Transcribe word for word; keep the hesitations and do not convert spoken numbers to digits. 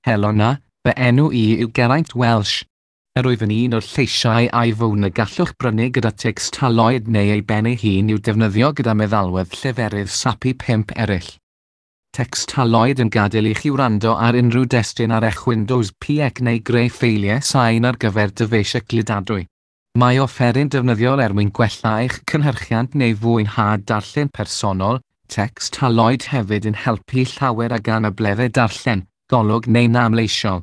Helo 'na, fy enw i yw Geraint Welsh. Yr wyf yn un o'r lleisiau iPhone y gallwch brynu gyda Textaloid neu ei ben ei hun i'w defnyddio gyda meddalwedd lleferydd SAPI pump eraill. Textaloid yn gadael i chi wrando ar unrhyw destun ar eich Windows P C neu greu ffeiliau sain ar gyfer dyfeisiau cludadwy. Mae offeryn defnyddiol er mwyn gwella eich cynhyrchiant neu fwynhad darllen personol. Textaloid hefyd yn helpu llawer ag anableddau darllen, golwg neu namleisiol.